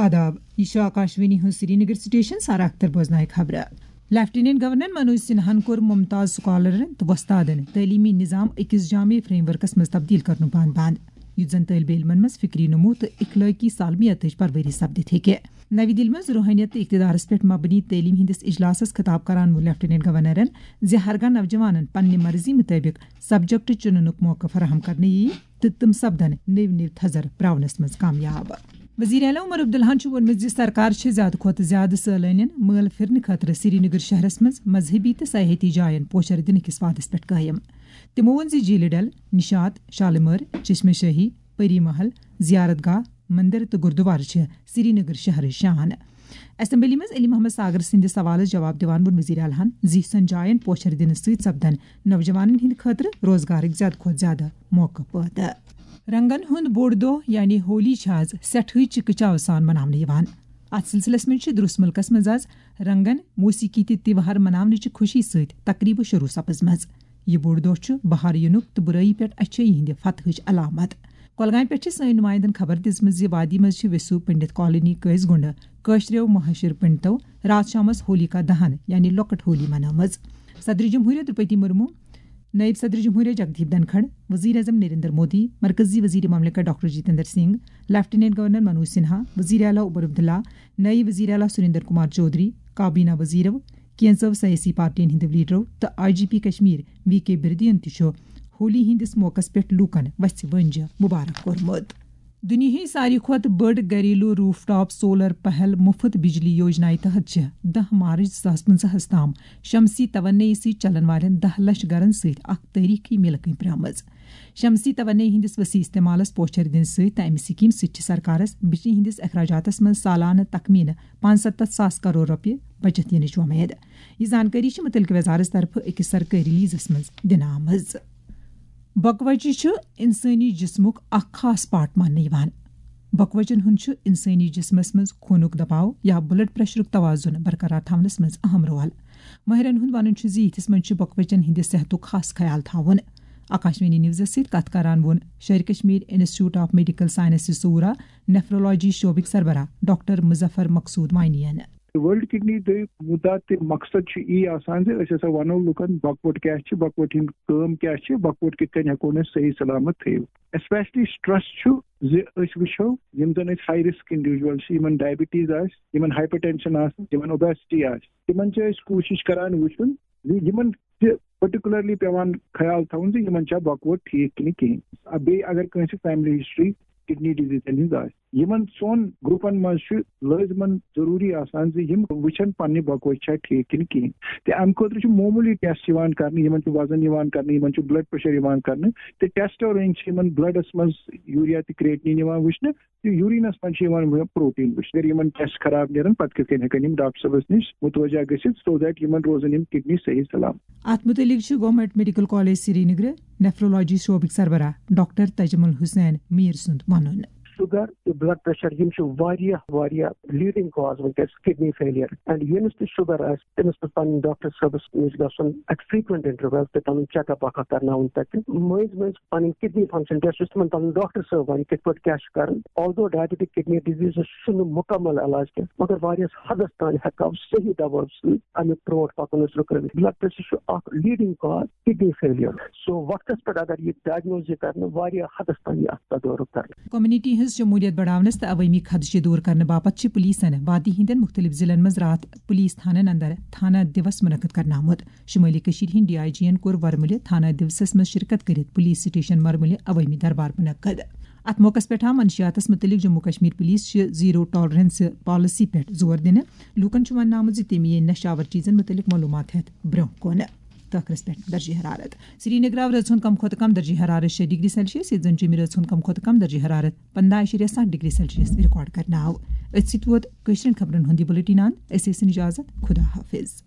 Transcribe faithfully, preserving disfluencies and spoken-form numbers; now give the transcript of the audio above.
آداب، یہِ چھُ آکاشوانی ہُنٛد سرینگر سٹیشن۔ سارا اختر بوزنایہِ خبرٕ۔ لیفٹیننٹ گورنر منوج سنہاہن کوٚر ممتاز سکالرن تہٕ وۄستادن تعلیمی نظام أکِس جامع فریم ورکس منٛز تبدیل کرنُک بان بنٛد، یُتھ زن طٲلبہِ علمن منٛز فکری نمو تہٕ اخلٲقی سالمیتٕچ پروری سپدِتھ ہیٚکہِ۔ نوی دِلہِ منٛز روحانیت تہٕ اقتدارس پٮ۪ٹھ مبنی تعلیٖم ہٕنٛدِس اجلاسس خطاب کران ووٚن لیفٹیننٹ گورنرن زِ ہرگاہ نوجوانن پننہِ مرضی مطٲبق سبجیکٹ چُننُک موقعہٕ فراہم کرنہٕ یِیہِ، تہٕ تِم سپدن نٔوۍ نٔوۍ تھزر پراونس منٛز کامیاب۔ وزیر اعلیٰ عمر عبداللہن چھُ ووٚنمُت زِ سرکار چھِ زیادٕ کھۄتہٕ زیادٕ سٲلٲنین مٲلۍ پھِرنہٕ خٲطرٕ سرینگر شہرس منٛز مذہبی تہٕ سیاحتی جاین پوچھر دِنہٕ کِس وعدس پٮ۪ٹھ قٲیِم۔ تِمو ووٚن زِ جھیلہِ ڈل، نشاط، شالمٲر، چشمہ شاہی، پری محل، زیارت گاہ، مندر تہٕ گردوارٕ چھِ سرینگر شہرٕچ شان۔ اسمبلی منٛز علی محمد ساگر سٕنٛدِ سوالس جواب دِوان ووٚن وزیر اعلیٰ ہن زِ یِژھن جاین پوچھر دِنہٕ سۭتۍ سپدن نوجوانن ہٕنٛدِ خٲطرٕ روزگارٕکۍ زیادٕ کھۄتہٕ زیادٕ موقعہٕ پٲدٕ۔ رنگن ہُنٛد بوٚڑ دۄہ یعنی ہولی چھِ آز سٮ۪ٹھٕے چکہ چاو سان مناونہٕ یِوان۔ اتھ سلسلس منٛز چھِ درس مُلکس منٛز آز رنگن، موسیقی تہٕ تہوار مناونٕچہِ خوشی سۭتۍ تقریبہٕ شروع سپٕزمٕژ۔ یہِ بوٚڑ دۄہ چھُ بہار یِنُک تہٕ بُرٲیی پٮ۪ٹھ اچھٲیی ہٕنٛدِ فتحٕچ علامت۔ کۄلگامہِ پٮ۪ٹھ چھِ سٲنۍ نُمایندن خبر دِژمٕژ زِ وادی منٛز چھِ ویسو پنڈت کالونی قٲضۍ گُنڈٕ کٲشرٮ۪و مہاشر پنڈتو راتھ شامس ہولیکا دہن یعنی لۄکٕٹ ہولی منٲومٕژ۔ صدر جمہوریہ درپتی مرمو، نائب صدر جمہوریہ جگدیپ دھنکھڑ، وزیر اعظم نریندر مودی، مرکزی وزیر مملکت doctor Jitendra Singh, lieutenant governor Manoj Sinha, وزیر اعلیٰ عمر عبداللہ، نائب وزیر اعلیٰ سریندر کمار چودھری، کابینہ وزیرو، کینژو سیاسی پارٹین ہٕنٛدیو لیڈرو تہٕ I G P Kashmir V K بردین تہِ چھُ ہولی ہٕنٛدِس موقعس پٮ۪ٹھ لوٗکن وژھِ وٲنٛجہِ مبارک کوٚرمُت۔ دُنیاہٕچ ساروی کھۄتہٕ بٔڑ گھریلو روف ٹاپ سولر پہل مُفت بجلی یوجنایہِ تحت چھِ دَہ مارچ زٕ ساس پٕنٛژٕہَس تام شمسی توانٲیی سۭتۍ چلن والٮ۪ن دَہ لچھ گرن سۭتۍ اکھ تٲریخی میلہٕ کٲم پرٛٲمٕژ۔ شمسی توانٲیی ہٕنٛدِس وسیع استعمالس پوچھر دِنہٕ سۭتۍ تہٕ امہِ سکیمہِ سۭتۍ چھِ سرکارس بجلی ہٕنٛدِس اخراجاتس منٛز سالانہٕ تخمینہٕ پانٛژھ ستتھ ساس کرور رۄپیہِ بچت یِنٕچ وۄمید۔ یہِ زانکٲری چھِ مُتعلقہٕ وزارت طرفہٕ أکِس سرکٲری ریلیزس منٛز دِنہٕ آمٕژ۔ بۄکہٕ وَچہِ چھُ اِنسٲنی جسمُک اکھ خاص پارٹ ماننہٕ یِوان۔ بۄکہٕ وَچَن ہُنٛد چھُ اِنسٲنی جسمس منٛز خوٗنُک دباو یا بلڈ پریشرُک توازن برقرار تھاونس منٛز اہم رول۔ مٲہرن ہُنٛد وَنُن چھُ زِ یِتھِس منٛز چھُ بۄکہٕ وَچَن ہٕنٛدِ صحتُک خاص خیال تھاوُن۔ آکاشوانی نیوزس سۭتۍ کتھ کران ووٚن Sher-i Kashmir institute of medical sciences Soura nephrology شعبٕکۍ سربراہ ڈاکٹر مظفر مقصود وانی ین۔ ورلڈ کڈنی ڈے مُدعا تہٕ مقصد چھُ یی آسان زِ أسۍ ہسا وَنو لُکن بۄکہٕ وَچ کیٛاہ چھِ، بۄکہٕ وَچ ہٕنٛدۍ کٲم کیٛاہ چھِ، بۄکہٕ وَچ کِتھ کٔنۍ ہٮ۪کون أسۍ صحیح سلامت تھٲوِتھ۔ اسپیشلی سٹریس چھُ زِ أسۍ وٕچھو یِم زن أسۍ ہائی رسک انڈیویجول چھِ، یِمن ڈائبٹیز آسہِ، یِمن ہائپر ٹینشن آسہِ، یِمن اوبیسٹی آسہِ، تِمن چھِ أسۍ کوٗشش کران وٕچھُن زِ یِمن چھِ پرٹیکولرلی پٮ۪وان خیال تھاوُن زِ یِمن چھا بۄکہٕ وَچ ٹھیٖک کِنہٕ کِہیٖنۍ۔ آ، بیٚیہِ اگر کٲنٛسہِ فیملی ہسٹری کڈنی ڈیزیزن ہٕنٛز آسہِ، یِمن ژۄن گروپن منٛز چھُ لٲزمن ضروٗری آسان زِ یِم وٕچھن پننہِ بۄکہٕ وَچہِ چھا ٹھیٖک کِنہٕ کِہیٖنۍ۔ تہٕ امہِ خٲطرٕ چھُ معموٗلی ٹیسٹ یِوان کرنہٕ، یِمن چھُ وزن یِوان کرنہٕ، یِمن چھُ بلڈ پریشر یِوان کرنہٕ، تہٕ ٹیسٹ رینج چھِ یِمن بلڈس منٛز یوٗریا تہٕ کریٹنین یِوان وٕچھنہٕ، تہٕ یوٗرینس منٛز چھِ یِوان پروٹین وٕچھنہٕ۔ اگر یِمن ٹیسٹ خراب نیرن، پتہٕ کِتھ کٔنۍ ہٮ۪کن یِم ڈاکٹر صٲبس نِش متوجہ گٔژھِتھ، so that یِمن روزن یِم کڈنی صحیح سلام۔ اتھ مُتعلق چھُ گورنمنٹ میڈیکل کالج سرینگرٕ نیفرولوجی شعبٕکۍ سربراہ ڈاکٹر تجمل حسین میر سُنٛد وَنُن۔ شُگر تہٕ بلڈ پریشر، یِم چھِ واریاہ، واریاہ لیڈنگ کاز وٕنکیٚس کڈنی فیلیر۔ اینڈ ییٚمِس تہِ شُگر آسہِ، تٔمِس پزِ پنٕنۍ ڈاکٹر صٲبس نِش گژھُن ایٹ فریکوینٹ انٹرویل تہٕ پنُن چیک اپ اکھ اکھ کرناوُن تتہِ۔ مٔنٛزۍ مٔنٛزۍ پنٕنۍ کڈنی فنکشن ٹیسٹ یُس تِمن پنُن ڈاکٹر صٲب ونہِ کِتھ پٲٹھۍ کیٛاہ چھُ کرُن۔ Although diabetic kidney disease چھُنہٕ مُکمل علاج کینٛہہ، مگر واریاہس حدس تام ہٮ۪کو صحیح دوا سۭتۍ امیُک برونٛٹھ پکُن أسۍ رُکٲوِتھ۔ بلڈ پریشر چھُ اکھ لیڈنگ کاز کڈنی فیلیر۔ سو وقتس پٮ۪ٹھ اگر یہِ ڈائگنوز یہِ کرنہٕ، واریاہ حدس تام یہِ اتھ تدارک کرنہٕ۔ کومیونٹی ہٕنٛز شمولیت بڑاونس تہٕ عوٲمی خدشہٕ دوٗر کرنہٕ باپتھ چھِ پولیسن وادی ہٕنٛدٮ۪ن مُختٔلِف ضلعن منٛز راتھ پولیس تھانن اندر تھانہ دیوس منعقد کرنہٕ آمُت۔ شمٲلی کٔشیٖرِ ہٕنٛدۍ ڈی آئی جی ین کوٚر ورمُلہِ تھانہ دیوسس منٛز شرکت کٔرِتھ پولیس سٹیشن ورمُلہِ عوٲمی دربار منعقد۔ اتھ موقعس پٮ۪ٹھ آو منشیاتس مُتعلق جموں کشمیر پولیس چہِ زیرو ٹالرنس پالیسی پٮ۪ٹھ زور دِنہٕ۔ لوٗکن چھُ وننہٕ آمُت زِ تِم یِیہِ نشہٕ آور چیٖزن مُتعلق معلوٗمات ہٮ۪تھ برٛونٛہہ کُن۔ تہٕ ٲخرس پٮ۪ٹھ درجہ حرارت۔ سرینگر آو رٲژ ہُنٛد کم کھۄتہٕ کم درجہ حرارت شےٚ ڈگری سیلسیس، ییٚتہِ زن جوٚمہِ رٲژ ہُنٛد کم کھۄتہٕ کم درجہ حرارت پنٛداہ اعشاریہ ستھ ڈگری سیلسیس ریکارڈ کرنہٕ آو۔ أتھۍ سۭتۍ ووت کٲشرٮ۪ن خبرن ہُنٛد یہِ بُلٹن اند۔ أسۍ ٲسِن اجازت۔ خدا حافظ۔